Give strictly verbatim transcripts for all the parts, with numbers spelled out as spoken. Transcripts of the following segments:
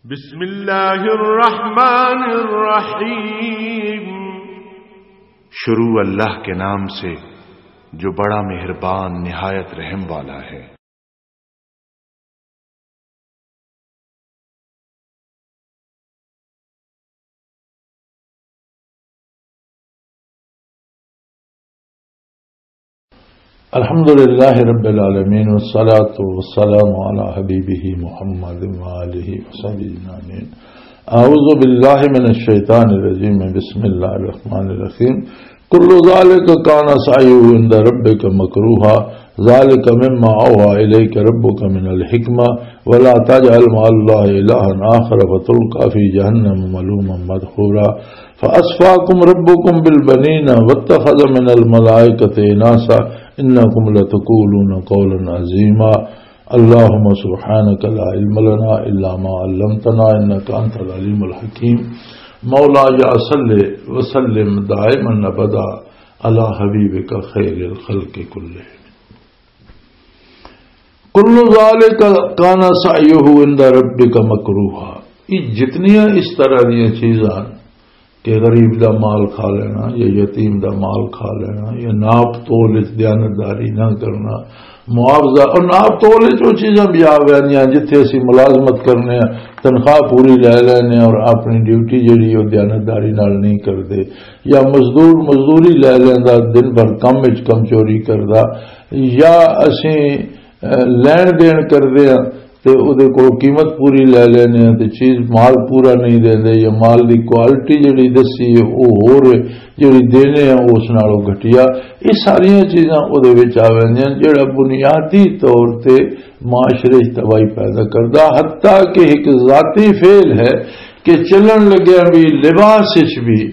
بسم اللہ الرحمن الرحیم۔ شروع اللہ کے نام سے، جو بڑا مہربان، نہایت رحم والا ہے۔ الحمد لله رب العالمين، والصلاة والسلام على حبيبه محمد وآله وصحبه أجمعين. أعوذ بالله من الشيطان الرجيم. بسم الله الرحمن الرحيم. كل ذلك كان سعيه عند ربك مكروها، ذلك مما أوحى إليك ربك من الحكمة، ولا تجعل مع الله إلها آخر فتلقى في جهنم ملوما مدحورا. فأصفاكم ربكم بالبنين واتخذ من الملائكة إناثا إنكم لتقولون قولا عظيما. اللهم سبحانك لا علم لنا إلا ما علمتنا إنك أنت العليم الحكيم. مولاي صل وسلم دائما أبدا على حبيبك خير الخلق كلهم. کل ذالک کان سعیہ عند ربک مکروہا۔ یہ جتنیاں اس طرح دیاں چیزاں کہ غریب دا مال کھا لینا یا یتیم دا مال کھا لینا یا ناپ تول وچ دیانتداری نہ کرنا، معاوضہ اور ناپ تول وچ وہ چیزاں بھی آ ویندیاں جتھے اسی ملازمت کرنے ہیں، تنخواہ پوری لے لینے اور اپنی ڈیوٹی جڑی وہ دیانتداری نال نہیں کردے، یا مزدور مزدوری لے لیندا، دن بھر کم وچ کم چوری کردا، یا اسیں، اے، لین دین کردے ہاں تے او دے کول قیمت پوری لے لینے ہاں تے چیز مال پورا نہیں دیندے، یا مال دی کوالٹی جڑی دسی ہے او ہور ہے، جڑی دینے ہاں اس نالوں گھٹیا۔ یہ ساریاں چیزاں او دے وچ آ ویندیاں، جڑا بنیادی طور تے معاشرے وچ تباہی پیدا کردا، حتیٰ کہ ایک ذاتی فعل ہے کہ چلن لگیا بھی، لباس وچ بھی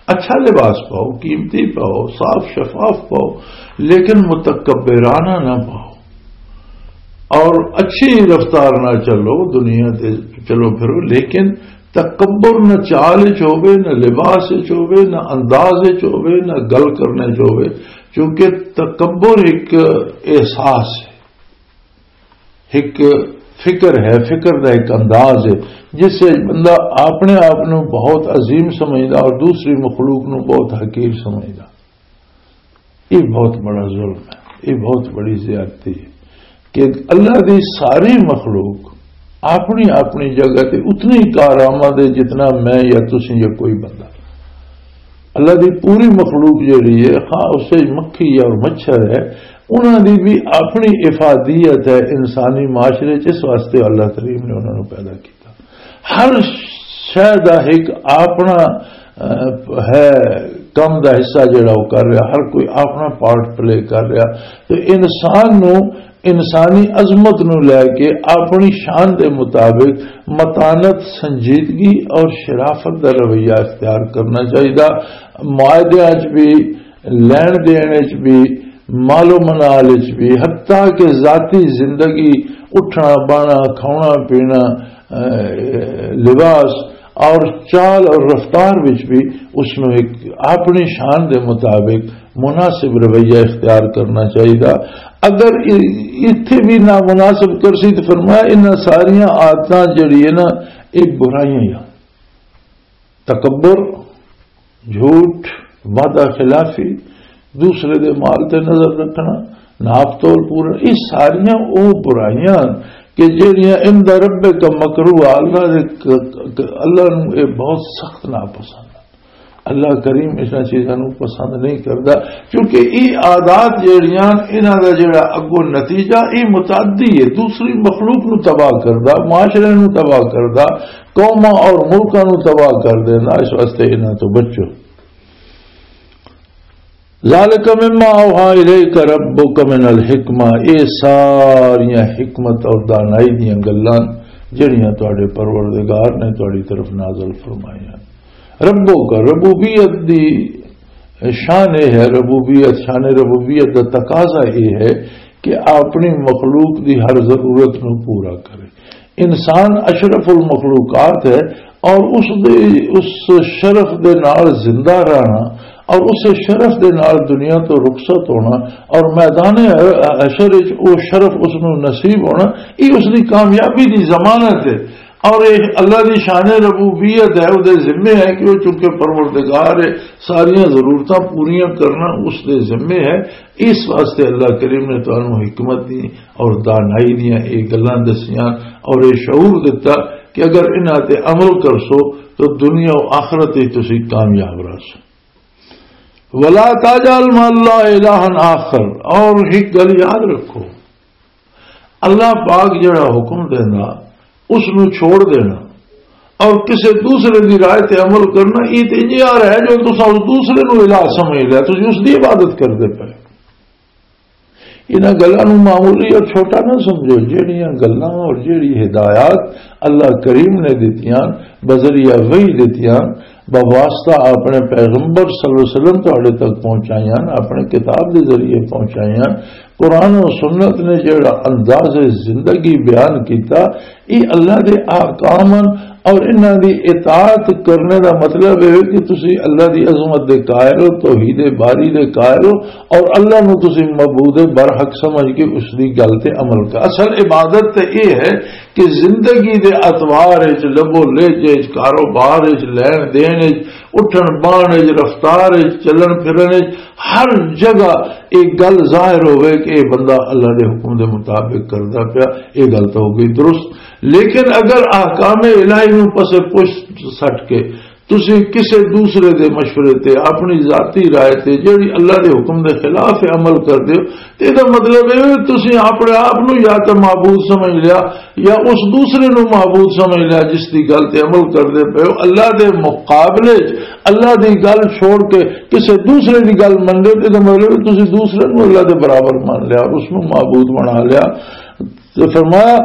اچھا لباس پاؤ، قیمتی پاؤ، صاف شفاف پاؤ، لیکن متکبرانہ نہ پاؤ۔ اور اچھی رفتار نہ چلو، دنیا تے چلو پھرو، لیکن تکبر نہ چال وچ ہوے، نہ لباس وچ ہوے، نہ انداز وچ ہوے، نہ گل کرنے وچ ہوے، کیونکہ تکبر ایک احساس ہے، ایک فکر ہے، فکر دا ایک انداز ہے، جس سے بندہ اپنے آپ نو بہت عظیم سمجھدا اور دوسری مخلوق نو بہت حقیر سمجھدا۔ یہ بہت بڑا ظلم ہے، یہ بہت بڑی زیادتی ہے کہ اللہ دی ساری مخلوق اپنی اپنی جگہ تے اتنی کارآمد ہے جتنا میں یا تسی یا کوئی بندہ۔ اللہ دی پوری مخلوق جڑی ہے، خواہ اس وچ مکھی اور مچھر ہے، انہاں دی بھی اپنی افادیت ہے انسانی معاشرے چ، اس واسطے اللہ کریم نے انہاں نوں پیدا کیتا۔ ہر شے دا ایک اپنا، اہ، ہے، کم دا حصہ جڑا وہ کر رہا، ہر کوئی اپنا پارٹ پلے کر رہا۔ تے انسان نوں، انسانی عظمت نوں لے کے اپنی شان دے مطابق متانت، سنجیدگی اور شرافت دا رویہ اختیار کرنا چاہیدا۔ معاہدیاں چ بھی، لین دین وچ بھی، مال و منال وچ بھی، حتیٰ کہ ذاتی زندگی، اٹھنا بانا، کھانا پینا، اے، لباس اور چال اور رفتار وچ بھی اس نو ایک اپنی شان دے مطابق مناسب رویہ اختیار کرنا چاہیے۔ اگر ای-، اتھے بھی نامناسب کرسی تو فرمایا، انہاں ساریاں عادتاں جڑی ہے نا، یہ برائیاں ہی آ۔ تکبر، جھوٹ، وعدہ خلافی، دوسرے دے مال تے نظر رکھنا، ناپ تول پورا، یہ ساریاں او برائیاں کہ جڑیاں عند ربک مکروہ، اللہ دے ک-، ک-، اللہ نو اے بہت سخت ناپسند ہے۔ اللہ کریم اس چیزاں نو پسند نہیں کردا، کیونکہ یہ عادات جڑیاں، انہاں دا جڑا اگوں نتیجہ، یہ متعدی ہے، دوسری مخلوق نو تباہ کردا، معاشرے نو تباہ کردا، قوماں اور ملکاں نو تباہ کر دینا، اس واسطے انہاں تو بچو۔ ذالک مما اوحی الیک ربک من الحکمہ، اے ساریاں حکمت اور دانائی دیاں گلاں جڑیاں تواڈے پروردگار نے تواڈی طرف نازل فرمائیاں۔ ربک، ربوبیت دی شان اے ہے، ربوبیت، شان ربوبیت دا تقاضا اے ہے کہ اپنی مخلوق دی ہر ضرورت نو پورا کرے۔ انسان اشرف المخلوقات ہے اور اس دے، اس شرف دے نال زندہ رہنا اور اس شرف دے نال دنیا تو رخصت ہونا اور میدان حشر وچ او شرف اس نو نصیب ہونا، یہ اس دی کامیابی دی ضمانت ہے۔ اور یہ اللہ دی شان ربوبیت ہے، وہ دے ذمے ہے کہ وہ چونکہ پروردگار ہے، ساریاں ضرورتاں پوریاں کرنا اس دے ذمے ہے۔ اس واسطے اللہ کریم نے تانوں حکمت دی اور دانائی دیاں یہ گلاں دسیاں اور یہ شعور دتا کہ اگر انہاں تے عمل کرسو تو دنیا و آخرت وچ تسی کامیاب رہسو۔ ولا تجعل مع اللہ الہا آخر، اور ایک گل یاد رکھو، اللہ پاک جڑا حکم دینا، اس نو چھوڑ دینا اور کسے دوسرے دی رائے تے عمل کرنا، یہ تے انج یار ہے جو تساں اس دوسرے نو الہ سمجھ لیا، تسی اس دی عبادت کردے پے۔ انہاں گلاں نو معمولی اور چھوٹا نہ سمجھو۔ جہڑیاں گلاں اور جہڑی ہدایات اللہ کریم نے دتیاں، بذریعہ وحی دتیاں، بواسطہ اپنے پیغمبر صلی اللہ علیہ وسلم تہاڈے تک پہنچائیاں، اپنے کتاب دے ذریعے پہنچائیاں، قرآن و سنت نے جڑا انداز زندگی بیان کیتا، یہ اللہ دے احکام ہن۔ اور انہاں دی اطاعت کرنے دا مطلب یہ ہے کہ تسی اللہ دی عظمت دے قائل ہو، توحید باری دے قائل ہو، اور اللہ نو تسی معبود برحق سمجھ کے اس دی گل تے عمل کر۔ اصل عبادت تے یہ ہے کہ زندگی دے اطوار وچ، لبو لہجے وچ، کاروبار وچ، لین دین وچ، اٹھن بان وچ، رفتار وچ، چلن پھرن وچ، ہر جگہ یہ گل ظاہر ہوئے کہ یہ بندہ اللہ دے حکم دے مطابق کردا پیا۔ یہ گل تو ہو گئی درست، لیکن اگر احکام الہی نو پسے پشت سٹ کے تسی کسے دوسرے دے مشورے تے، اپنی ذاتی رائے تے، جڑی اللہ دے حکم دے خلاف عمل کر دیو، تے دا مطلب اے ہے تسی اپنے آپ نو یا تے معبود سمجھ لیا یا اس دوسرے نو معبود سمجھ لیا جس دی گل تے عمل کردے پئے ہو۔ اللہ دے مقابلے چ اللہ دی گل چھوڑ کے کسے دوسرے دی گل من دے، تے دا مطلب ہے تسی دوسرے نو اللہ دے برابر مان لیا اور اس نو معبود بنا لیا۔ تے فرمایا،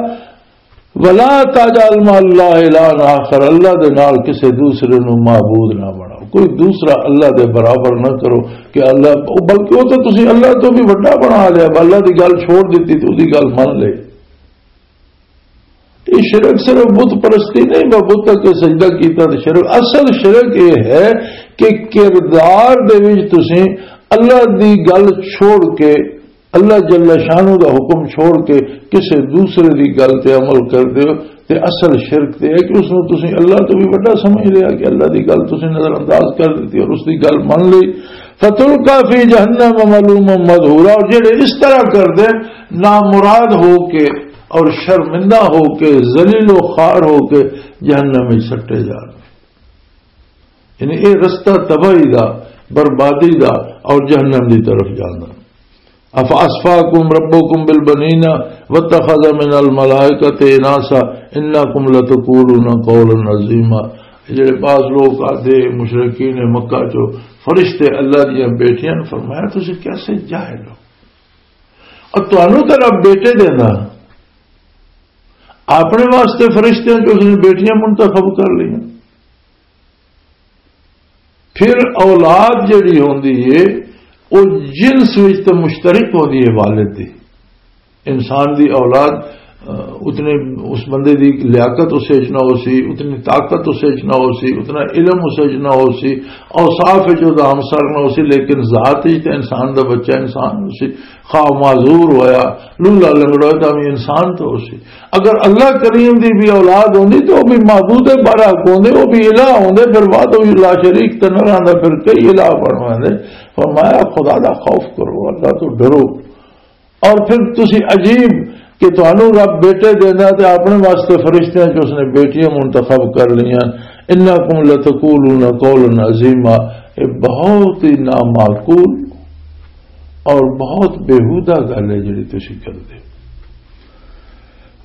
ولا تجعل مع اللہ الہا آخر، اللہ دے نال کسے دوسرے نو معبود نہ بناؤ، کوئی دوسرا اللہ دے برابر نہ کرو کہ اللہ، بلکہ وہ تو تسی اللہ تو بھی وڈا بنا لیا، اللہ دی گل چھوڑ دیتی تو دی گل مان لے۔ یہ شرک صرف بت پرستی نہیں، میں بت کے سجدہ کیتا تو شرک۔ اصل شرک یہ ہے کہ کردار دے وچ تسی اللہ دی گل چھوڑ کے، اللہ جل شانہ دا حکم چھوڑ کے کسے دوسرے دی گل تے عمل کر دیو، تے اصل شرک تے ہے کہ اس نو تسی اللہ تو بھی وڈا سمجھ لیا کہ اللہ دی گل تسی نظر انداز کر دیتی اور اس دی گل من لئی۔ فتلقى في جهنم ملوما مدحورا، اور جڑے اس طرح کر دے نامراد ہو کے اور شرمندہ ہو کے، ذلیل و خوار ہو کے جہنم میں سٹے جان۔ یعنی اے رستہ تباہی دا، بربادی دا اور جہنم دی طرف جانا۔ افاصفاکم ربکم بالبنین واتخذ من الملائکۃ اناثا انکم لتقولون قولا عظیما۔ جڑے بعض لوگ آتے مشرکین مکہ چو، فرشتے اللہ دیاں بیٹیاں نوں، فرمایا تسی کیسے جاہل ہو؟ اور تانوں تے رب بیٹے دینا، اپنے واسطے فرشتیاں چ اس نے بیٹیاں منتخب کر لیا۔ پھر اولاد جڑی ہوندی ہے، وہ جنس وچ تے مشترک ہوندی ہے والد دی۔ انسان دی اولاد، آ، اتنے اس بندے دی لیاقت اس وچ نہ ہو سی، اتنی طاقت اس وچ نہ ہو سی، اتنا علم اس وچ نہ ہو سی، اوصاف وچ او دا ہمسر نہ ہو سی، لیکن ذات وچ تے انسان دا بچہ انسان ہو سی۔ خواہ معذور ہویا، لولا لنگڑا ہویا، تاں وی انسان تو ہو سی۔ اگر اللہ کریم دی بھی اولاد ہوندی تو وہ بھی معبود برحق ہوندے، وہ بھی الہ ہوندے، پھر وحدہ لا شریک تے نہ رہندا، پھر کئی الہ بن ویندے۔ فرمایا خدا دا خوف کرو، اللہ تو ڈرو۔ اور پھر تسی عجیب کہ تانوں رب بیٹے دیندا تے اپنے واسطے فرشتیاں چ اس نے بیٹیاں منتخب کر لیاں۔ انکم لتقولون قولا عظیما، یہ بہت ہی نامعقول اور بہت بیہودہ گل ہے جڑی تسی کردے۔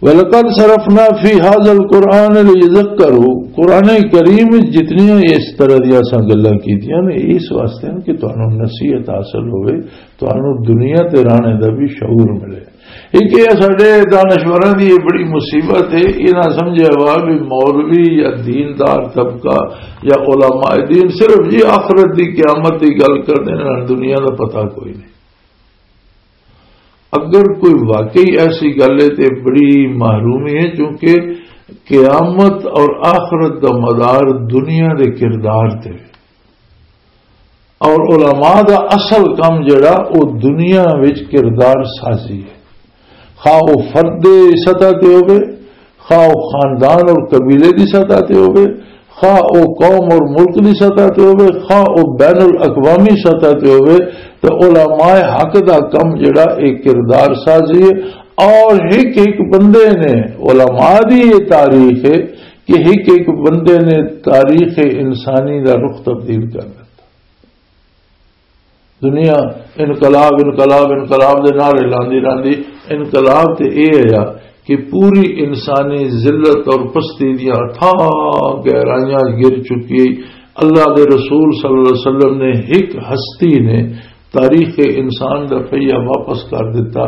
وَلَقَدْ صَرَفْنَا فِي هَذَا الْقُرْآنَ لِيَذَّكَّرُوا، قرآن کریم وچ جتنیاں اس طرح دیاں اساں گلاں کیتیاں نے، اس واسطے کہ تانوں نصیحت حاصل ہوئے، تانوں دنیا تے رہنے دا بھی شعور ملے۔ ایک یہ ساڈے دانشوراں دی یہ بڑی مصیبت ہے، یہ نہ سمجھیا ہوا بھی مولوی یا دیندار طبقہ یا علماء دین صرف جی آخرت دی قیامت دی گل کردے نے، دنیا دا پتہ کوئی نہیں۔ اگر کوئی واقعی ایسی گل ہے تے بڑی محرومی ہے، کیونکہ قیامت اور آخرت دا مدار دنیا دے کردار تے وے۔ اور علماء دا اصل کم جڑا او دنیا وچ کردار سازی ہے، خواہ او فرد سطح تے ہوے، خواہ او خاندان اور قبیلے دی سطح تے ہوئے، خواہ او قوم اور ملک دی سطح تے ہوئے، خواہ او بین الاقوامی سطح تے ہوئے، تو علماء حق دا کم جڑا ایک کردار سازی ہے۔ اور ایک ایک بندے نے، علماء دی یہ تاریخ ہے کہ ایک ایک بندے نے تاریخ انسانی دا رخ تبدیل کر دیتا۔ دنیا انقلاب، انقلاب، انقلاب دے نعرے لاندی راندی، انقلاب تے اے ہے کہ پوری انسانی ذلت اور پستی دیاں تھا گہرائیاں گر چکی۔ اللہ دے رسول صلی اللہ علیہ وسلم نے، ایک ہستی نے تاریخ انسان دا پہیہ واپس کر دیتا،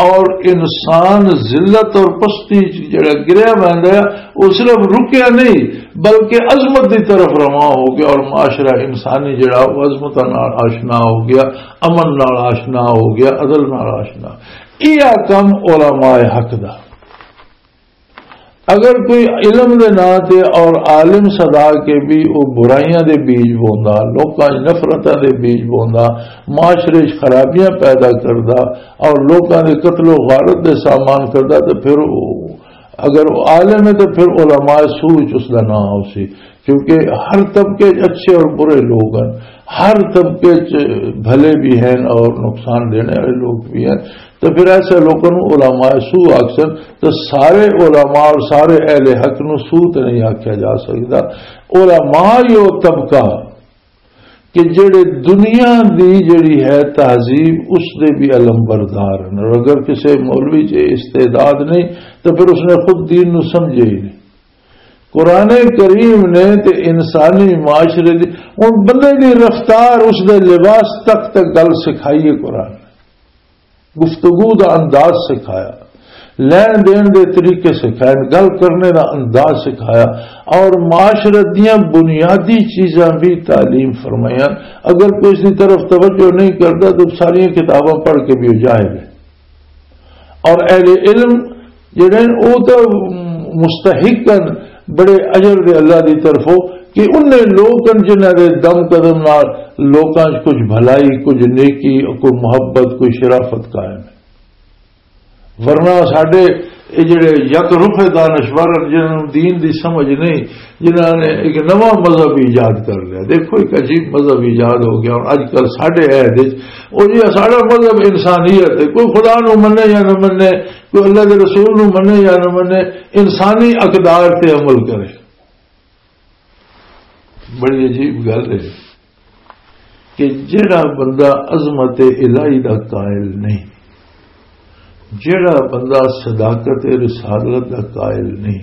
اور انسان ذلت اور پستی چ جڑا گریا ویندا ہے، وہ صرف رکیا نہیں، بلکہ عظمت دی طرف رواں ہو گیا، اور معاشرہ انسانی جڑا وہ عظمت نال آشنا ہو گیا، امن نال آشنا ہو گیا، عدل نال آشنا۔ یہ کم علماء حق دا۔ اگر کوئی علم دے ناں تے اور عالم صدا کے بھی وہ برائیاں دے بیج بوندا، لوکاں وچ نفرتاں دے بیج بوندا، معاشرے وچ خرابیاں پیدا کردا اور لوکاں دے قتل و غارت دے سامان کردا، تے پھر او، اگر وہ عالم ہے تو پھر علماء سو وچ اس دا نام ہو سی، کیونکہ ہر طبقے وچ اچھے اور برے لوگ ہیں، ہر طبقے وچ بھلے بھی ہیں اور نقصان دینے والے لوگ بھی ہیں۔ تو پھر ایسے لوگوں نوں علماء سو آکھسن، تو سارے علماء اور سارے اہل حق نوں سو تے نہیں آکھیا جا سکدا۔ علماء ہی وہ طبقہ کہ جڑے دنیا دی جڑی ہے تہذیب، اس دے بھی علم بردار ہیں۔ اور اگر کسی مولوی چ استعداد نہیں تو پھر اس نے خود دین نو سمجھے ہی نہیں۔ قرآن کریم نے تے انسانی معاشرے دی، ہن بندے دی رفتار، اس دے لباس تک تے گل سکھائی ہے قرآن نے۔ گفتگو دا انداز سکھایا، لین دین دے طریقے سکھائے، گل کرنے دا انداز سکھایا، اور معاشرت دیاں بنیادی چیزاں بھی تعلیم فرمائیاں۔ اگر کوئی اس دی طرف توجہ نہیں کرتا تو ساری کتاباں پڑھ کے بھی وہ جاہل ہے۔ اور اہل علم جڑے ہیں، وہ تو مستحق ہیں بڑے اجر دے اللہ دی طرفوں، کہ انہیں لوگ ہیں جنہاں دے دم قدم نال لوکاں 'چ کچھ بھلائی، کچھ نیکی، کوئی محبت، کوئی شرافت قائم ہے۔ ورنہ ساڈے یہ جڑے یک رخ دانشور ہیں، جنہاں نوں دین دی سمجھ نہیں، جنہاں نے ایک نواں مذہب ایجاد کر لیا۔ دیکھو، ایک عجیب مذہب ایجاد ہو گیا۔ اور اج کل ساڈے عہد وچ، او جی، ساڈا مذہب انسانیت ہے، کوئی خدا نو منے یا نہ منے، کوئی اللہ دے رسول نو منے یا نہ منے، انسانی اقدار تے عمل کرے۔ بڑی عجیب گل ہے کہ جڑا بندہ عظمت الہی دا قائل نہیں، جڑا بندہ صداقت رسالت دا قائل نہیں،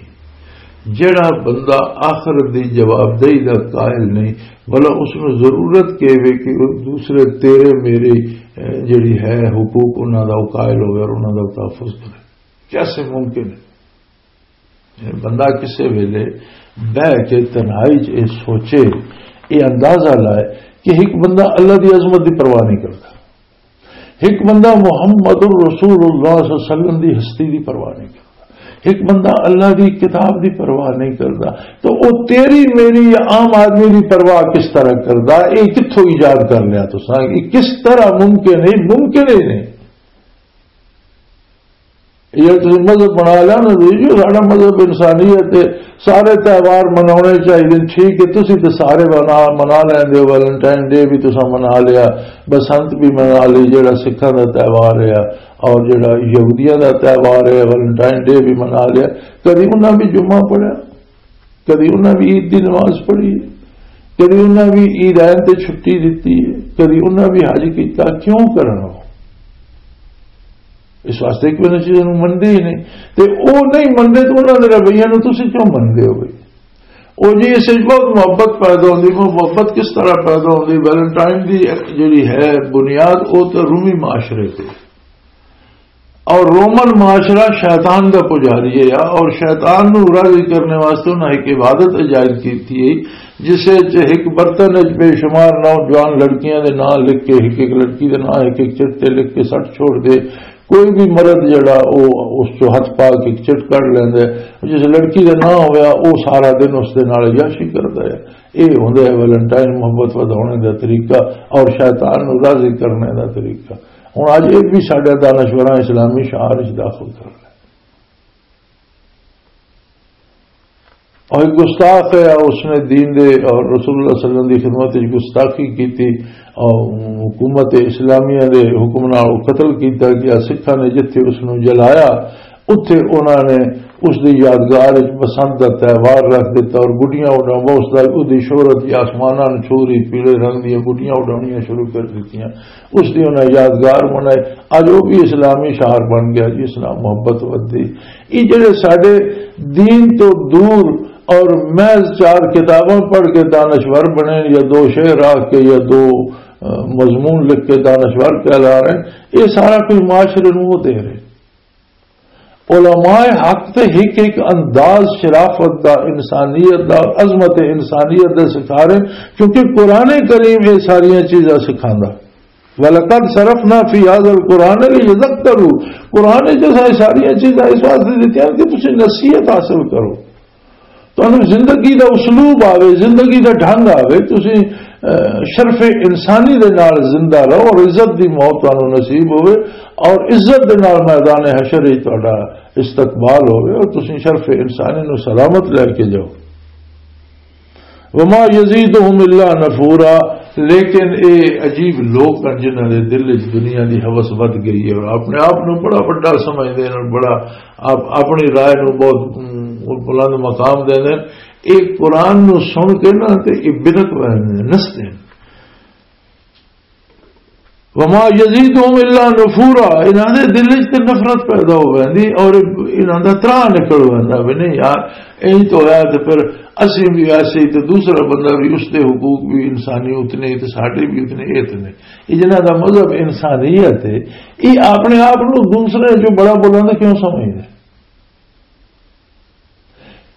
جڑا بندہ آخرت دی جوابدہی دا قائل نہیں، بھلا اس نوں ضرورت کی وے کہ وہ دوسرے تیرے میرے، اے، جڑی ہے حقوق، انہاں دا وہ قائل ہوئے اور انہاں دا وہ تحفظ کرے؟ کیسے ممکن ہے؟ بندہ کسے ویلے بہ کے تنہائی چ اے سوچے، اے اندازہ لائے کہ ایک بندہ اللہ دی عظمت دی پرواہ نہیں کرتا، ایک بندہ محمد الرسول اللہ صلی اللہ علیہ وسلم دی ہستی دی پرواہ نہیں کرتا، ایک بندہ اللہ دی کتاب دی پرواہ نہیں کرتا، تو وہ تیری میری یا عام آدمی دی پرواہ کس طرح کرتا؟ یہ کتھوں ایجاد کر لیا تساں؟ یہ کس طرح ممکن ہے؟ ممکن ہی نہیں۔ یہ تسی مذہب بنا لیا نا جی، جو ساڈا مذہب انسانیت ہے، سارے تہوار مناونے چاہیے، ٹھیک ہے، تسی تے سارے منا، منا لیندے ہو، ویلنٹائن ڈے بھی تساں منا لیا، بسنت بھی منا لی، جڑا سکھاں دا تہوار ہے، اور جڑا یہودیاں دا تہوار ہے، ویلنٹائن ڈے بھی منا لیا۔ کدی انہاں بھی جمعہ پڑھیا؟ کدی انہاں بھی عید دی نماز پڑھی ہے، کدی انہاں بھی عیدین تے چھٹی دتی ہے، کدی انہاں بھی حج کیتا، کیوں کرنا؟ اس واسطے کہ انہاں چیزاں نوں مندے ہی نہیں۔ تے او نہیں مندے تے انہاں دے رویے نوں تسی کیوں مندے ہو بھئی؟ او جی، اس وچ بہت محبت پیدا ہوندی۔ محبت کس طرح پیدا ہوندی؟ ویلنٹائن دی جڑی ہے بنیاد، او تے رومی معاشرے تے۔ اور رومن معاشرہ شیطان دا پجاری ہے، اور شیطان نو راضی کرنے واسطے انہاں ایک عبادت ایجاد کیتی ہے، جس وچ ایک برتن وچ بے شمار نوجوان لڑکیاں دے نام لکھ کے، ایک ایک لڑکی دے نام ایک ایک چٹ تے لکھ کے سٹ چھوڑ دے۔ کوئی بھی مرد جڑا او اس چوں ہتھ پا کے ایک چٹ کڈ لیندا ہے، جس لڑکی دا نام ہویا، او سارا دن اس دے نال عیاشی کردا ہے۔ اے ہوندا ہے ویلنٹائن محبت ودھاونے دا طریقہ اور شیطان نو راضی کرنے دا طریقہ۔ ہن اج اے بھی ساڈا دانشوراں اسلامی شعار وچ داخل کر لیا۔ اور ایک گستاخ ہے، اس نے دین دے اور رسول اللہ صلی اللہ علیہ وسلم دی خدمت وچ گستاخی کیتی، اور حکومت اسلامیہ دے حکم نال قتل کیتا گیا۔ سکھاں نے جتھے اس نوں جلایا، اتھے انہاں نے اس دی یادگار وچ بسنت دا تہوار رکھ دتا اور گڈیاں اڈاواں، اس دا، اس دی شہرت دی آسماناں نوں چھو رہی، پیلے رنگ دیاں گڈیاں اڈاونیاں شروع کر دتیاں۔ اس دی انہاں یادگار بنائے۔ اج وہ بھی اسلامی شہر بن گیا جی، اسلام محبت ودی۔ یہ جڑے ساڈے دین تو دور اور محض چار کتاباں پڑھ کے دانشور بنے یا دو شعر آ کے یا دو، آ، مضمون لکھ کے دانشور کہلا رہے ہیں، یہ سارا کوئی معاشرے نوں وہ دے رہے۔ علماء حق تے ہک ہک انداز شرافت دا، انسانیت دا، عظمت انسانیت دا سکھا رہے ہیں، کیونکہ قرآن کریم یہ ساریاں چیزاں سکھاندا۔ وَلَقَدْ صَرَفْنَا فِي هَذَا الْقُرْآنَ لِيَذَّكَّرُوا۔ قرآن وچ اساں یہ ساریاں چیزاں اس واسطے دتیاں کہ تسی نصیحت حاصل کرو، تانوں زندگی دا اسلوب آوے، زندگی دا ڈھنگ آوے، تسی، اہ، شرف انسانی دے نال زندہ رہو اور عزت دی موت تانوں نصیب ہوے اور عزت دے نال میدان حشر وچ تہاڈا استقبال ہوے اور تسی شرف انسانی نوں سلامت لے کے جاؤ۔ وما یزیدہم الا نفورا، لیکن اے عجیب لوگ ہیں جنہاں دے دل وچ دنیا دی ہوس ود گئی ہے اور اپنے آپ نوں بڑا وڈا سمجھدے ہیں اور بڑا آپ اپنی رائے نوں بہت، ام، بلند مقام دیندے ہیں۔ اے قرآن نوں سن کے نہ تے اے بدعت وہندے ہیں، نسدے ہیں۔ وما یزیدہم الا نفورا، انہاں دے دل وچ تے نفرت پیدا ہو ویندی اور انہاں دا تراہ نکل ویندا بھی نہیں یار، اینج تو ہویا تے پھر اسی بھی ایسے ہی تے دوسرا بندہ بھی، اس دے حقوق بھی انسانی اتنے ہی تے ساڈے بھی اتنے ہی اتنے۔ یہ جنہاں دا مذہب انسانیت ہے، یہ اپنے آپ نوں دوسرے جو بڑا بولن دا کیوں سمجھدے؟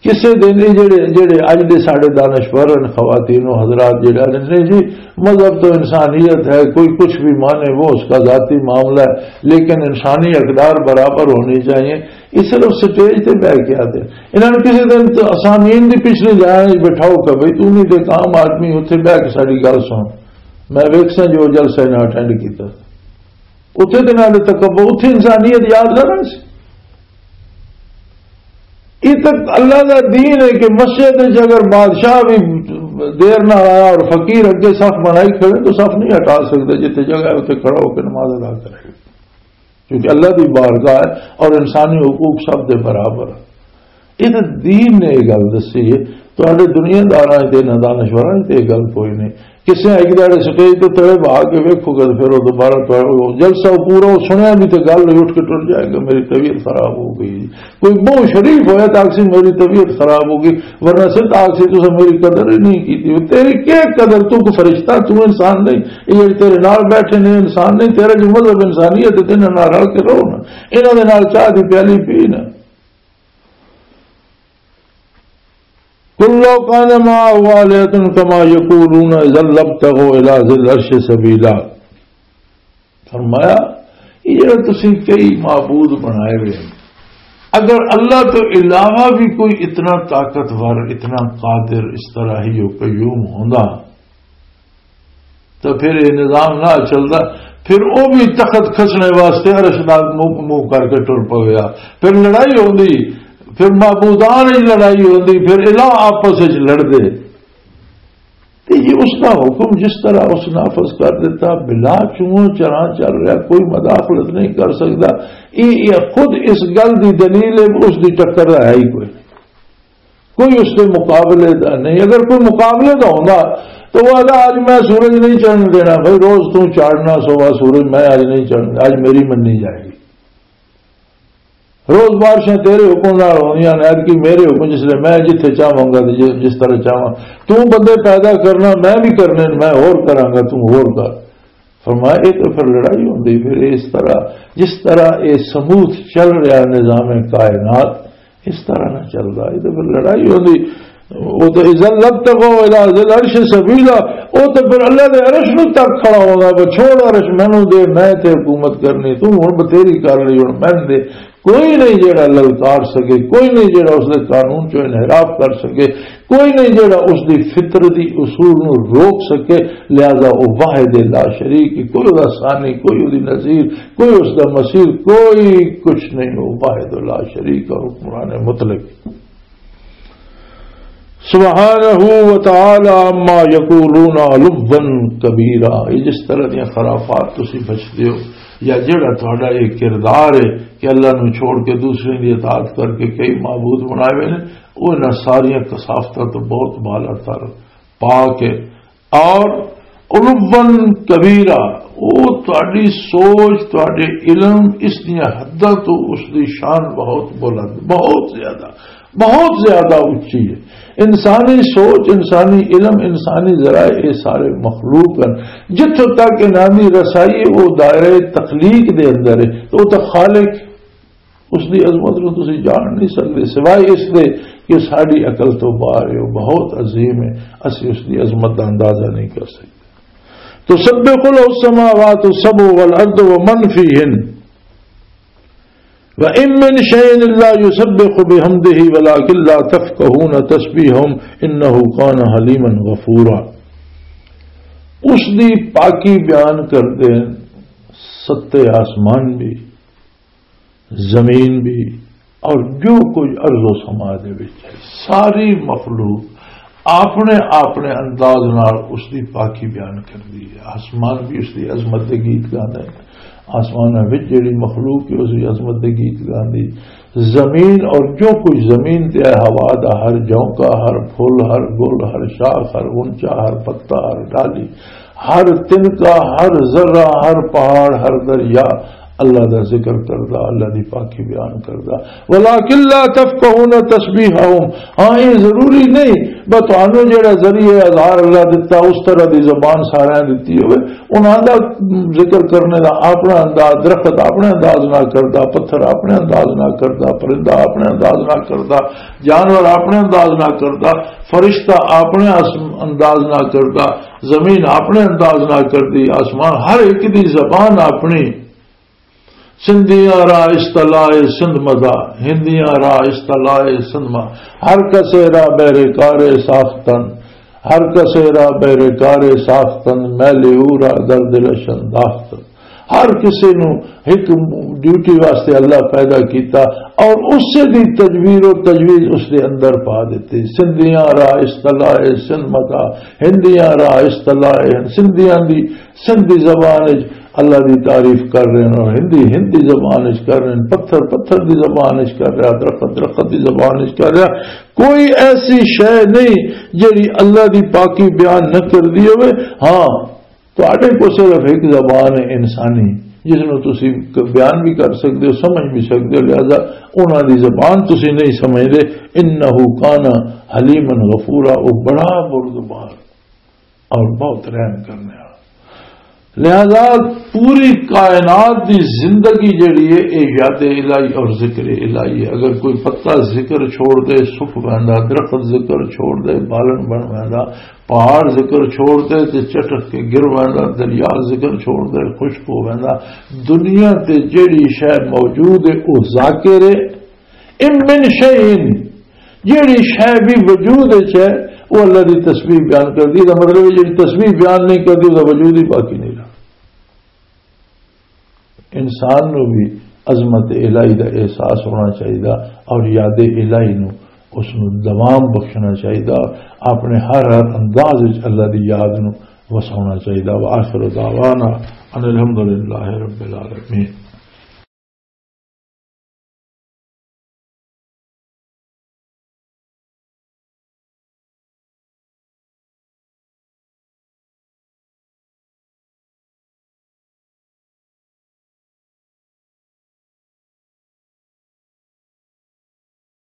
کسے دن یہ جڑے، جڑے اج دے ساڈے دانشور ہیں، خواتین و حضرات جڑے آدھے نے جی، مذہب تو انسانیت ہے، کوئی کچھ بھی مانے، وہ اس کا ذاتی معاملہ ہے، لیکن انسانی اقدار برابر ہونی چاہیے۔ یہ صرف سٹیج تے بہ کے آتے۔ انہاں نے کسے دن تو اسامین دی پچھلی لائن وچ بٹھاؤ کہ بھئی تو نہیں تے عام آدمی اتھے بہ کے ساڈی گل سن۔ میں ویکھساں جو جلسہ انہاں اٹینڈ کیتا۔ اتھے تے نال تکبر، اتھے انسانیت یاد رہنا سی۔ یہ تک اللہ دا دین ہے کہ مسجد وچ اگر بادشاہ بھی دیر نہ آیا اور فقیر اگے صف بنائی کھڑے تو صف نہیں ہٹا سکتے، جتھے جگہ ہے اتھے کھڑا ہو کے نماز ادا کرے، کیونکہ اللہ دی بارگاہ ہے اور انسانی حقوق سب دے برابر۔ یہ تے دین نے یہ گل دسی ہے۔ تہاڈے دنیا داراں تے نہ دانشوراں تے یہ گل کوئی نہیں۔ کسے ایک داڑے سٹیج تے تڑے بہا کے ویکھو گے، پھر وہ دوبارہ تہاڈے وہ جلسہ وہ پورا وہ سنیا بھی تے گل اٹھ کے ٹر جائے گا، میری طبیعت خراب ہو گئی۔ کوئی بہت شریف ہویا تے آکسی میری طبیعت خراب ہو گئی، ورنہ سر آکسی تو میری قدر ہی نہیں کی تھی۔ تیری کیا قدر؟ تو کوئی فرشتہ، تو انسان نہیں۔ یہ جڑے تیرے نال بیٹھے نے انسان نہیں، تیرا جو مذہب انسانیت ہے، تیرے نال رل کے رہو نا۔ انہاں دے نال چاہ دی پیالی پی نا۔ قل لو كان معه آلهة كما يقولون إذا لابتغوا إلى ذي العرش سبيلا۔ فرمایا، یہ جڑے تسی کئی معبود بنائے ہوئے ہیں، اگر اللہ تو علاوہ بھی کوئی اتنا طاقتور، اتنا قادر، اس طرح ہی و قیوم ہوندا، تو پھر یہ نظام نہ چلدا۔ پھر وہ بھی تخت کھسنے واسطے عرش نال منہ، منہ کر کے ٹر پویا۔ پھر لڑائی ہوندی، پھر معبودان وچ لڑائی ہوندی، پھر الہ آپس وچ لڑدے۔ تے یہ اس دا حکم جس طرح اس نافذ کر دیتا، بلا چون چران چل رہا، کوئی مداخلت نہیں کر سکتا۔ یہ، یہ خود اس گل دی دلیل ہے، اس دی ٹکر ہے ہی کوئی۔ کوئی اس دے مقابلے دا نہیں۔ اگر کوئی مقابلے دا ہوندا تو وہ آدھا، "اج میں سورج نہیں چڑھن دینا بھائی، روز تو چاڑنا سوا سورج، میں اج نہیں چڑھنا، اج میری مننی جائے گی۔" روز بارشاں تیرے حکم نال ہوندیاں نے، اج کی میرے حکم، جس لئے میں جتھے چاہواں گا تے جس، جس طرح چاہواں۔ تو بندے پیدا کرنا، میں بھی کرنے، میں ہور کراں گا، تو ہور کر۔ فرمایا، یہ تو پھر لڑائی ہوندی، پھر اس طرح، جس طرح یہ سموتھ چل رہا نظام کائنات، اس طرح نہ چلدا، یہ تو پھر لڑائی ہوندی۔ وہ تو اذا لابتغوا الی ذی العرش سبیلا، وہ تو پھر اللہ دے عرش نو تک کھڑا ہوگا، وہ چھوڑ عرش، مینوں دے، میں تے حکومت کرنی، تو ہن بتھیری کر لی، ہن میں دے۔ کوئی نہیں جیڑا للکار سکے، کوئی نہیں جیڑا اس دے قانون چوں انحراف کر سکے، کوئی نہیں جیڑا اس دی فطرتی اصول نو روک سکے۔ لہذا وہ واحد لا شریک، کوئی اس دا ثانی، کوئی اس دی نظیر، کوئی اس دا مثیل، کوئی کچھ نہیں۔ وہ واحد لا شریک اور حکمران مطلق۔ سبحانہ و تعالی عما یقولون علوا کبیرا۔ یہ جس طرح دیاں خرافات تسی بچدے ہو، یا جڑا تہاڈا یہ کردار ہے کہ اللہ نو چھوڑ کے دوسرے دی اطاعت کر کے کئی معبود بنائے ہوئے نے، وہ انہاں ساریاں کثافتاں تو بہت بالا تر، پاک ہے۔ اور علوا کبیرا، وہ تہاڈی سوچ، تہاڈے علم، اس دیاں حداں تو اس دی شان بہت بلند، بہت زیادہ، بہت زیادہ اچی ہے۔ انسانی سوچ، انسانی علم، انسانی ذرائع، یہ سارے مخلوق ہیں۔ جتھوں تک انہاں دی رسائی ہے، وہ دائرہ تخلیق دے اندر ہے، تو وہ تو خالق، اس دی عظمت نوں تسی جان نہیں سکدے، سوائے اس دے کہ ساڈی عقل تو باہر ہے، وہ بہت عظیم ہے، اسی اس دی عظمت دا اندازہ نہیں کر سکدے۔ تسبح له السماوات السبع والأرض ومن فيهن وإن من شيء إلا يسبح بحمده ولكن لا تفقهون تسبيحهم إنه كان حليما غفورا۔ اس دی پاکی بیان کردے ہیں ستے آسمان بھی، زمین بھی، اور جو کچھ ارض و سما دے وچ ہے، ساری مخلوق اپنے اپنے انداز نال اس دی پاکی بیان کردی ہے۔ آسمان بھی اس دی عظمت دے گیت گاندا ہے، آسماناں وچ جڑی مخلوق ہے، اس دی عظمت دے گیت گاندی۔ زمین اور جو کچھ زمین تے ہے، ہوا دا ہر جھونکا، ہر پھول، ہر گل، ہر شاخ، ہر غنچہ، ہر پتا، ہر ڈالی، ہر تنکا، ہر ذرہ، ہر پہاڑ، ہر دریا اللہ دا ذکر کردا، اللہ دی پاکی بیان کردا۔ وَلَٰكِن لَّا تَفْقَهُونَ تَسْبِيحَهُمْ۔ ہاں، یہ ضروری نہیں بس تانوں جڑا ذریعہ اظہار اللہ دتا، اس طرح دی زبان ساریاں دتی ہوئے، انہاں دا ذکر کرنے دا اپنا انداز، درخت اپنے انداز نہ کردا، پتھر اپنے انداز نہ کردا، پرندہ اپنے انداز نہ کردا، جانور اپنے انداز نہ کردا، فرشتہ اپنے اس-، انداز نہ کردا، زمین اپنے انداز نہ کردی، آسمان، ہر ایک دی زبان اپنی۔ سندھیاں را اصطلاح سندھ مدا، ہندیاں را اصطلاح سندھ ما، ہر کسے را بہر کار ساختن، ہر کسے را بہر کار ساختن، میلے او را در دل شنداختن۔ ہر کسے نو ایک ڈیوٹی واسطے اللہ پیدا کیتا اور اسے دی تدبیر و تجویز اس دے اندر پا دیتی۔ سندھیاں را اصطلاح سندھ مدا، ہندیاں را اصطلاح ہند، سندھیاں دی سندھ دی زبان وچ اللہ دی تعریف کر رہے ہیں اور ہندی ہندی زبان وچ کر رہے ہیں، پتھر پتھر دی زبان وچ کر رہا، درخت درخت دی زبان وچ کر رہا۔ کوئی ایسی شے نہیں جڑی اللہ دی پاکی بیان نہ کر دی ہوئے۔ ہاں، تہاڈے کو صرف ایک زبان ہے انسانی، جس نوں تسی ک-، بیان بھی کر سکدے ہو، سمجھ بھی سکدے ہو، لہذا انہاں دی زبان تسی نہیں سمجھدے۔ انہ کان حلیما غفورا، وہ بڑا بردبار اور بہت رحم کرنے والا۔ لہذا پوری کائنات دی زندگی جڑی ہے، یہ یاد الہی اور ذکر الہی ہے۔ اگر کوئی پتا ذکر چھوڑ دے، سک ویندا، درخت ذکر چھوڑ دے، بالن بن ویندا، پہاڑ ذکر چھوڑ دے تے چٹک کے گر ویندا، دریا ذکر چھوڑ دے، خشک ہو ویندا۔ دنیا تے جڑی شے موجود ہے، وہ ذاکر ہے۔ ان من شیء، جیڑی شے بھی وجود وچ ہے، وہ اللہ دی تسبیح بیان کردی۔ دا مطلب ہے، جیڑی تسبیح بیان نہیں کردی، اس دا وجود ہی باقی نہیں رہا۔ انسان نو بھی عظمت الہی دا احساس ہونا چاہیے اور یاد الہی نو، اس نو دوام بخشنا چاہیے، اپنے ہر ہر انداز وچ اللہ دی یاد نو وساونا چاہیے۔ وآخر دعوانا ان الحمدللہ رب العالمین۔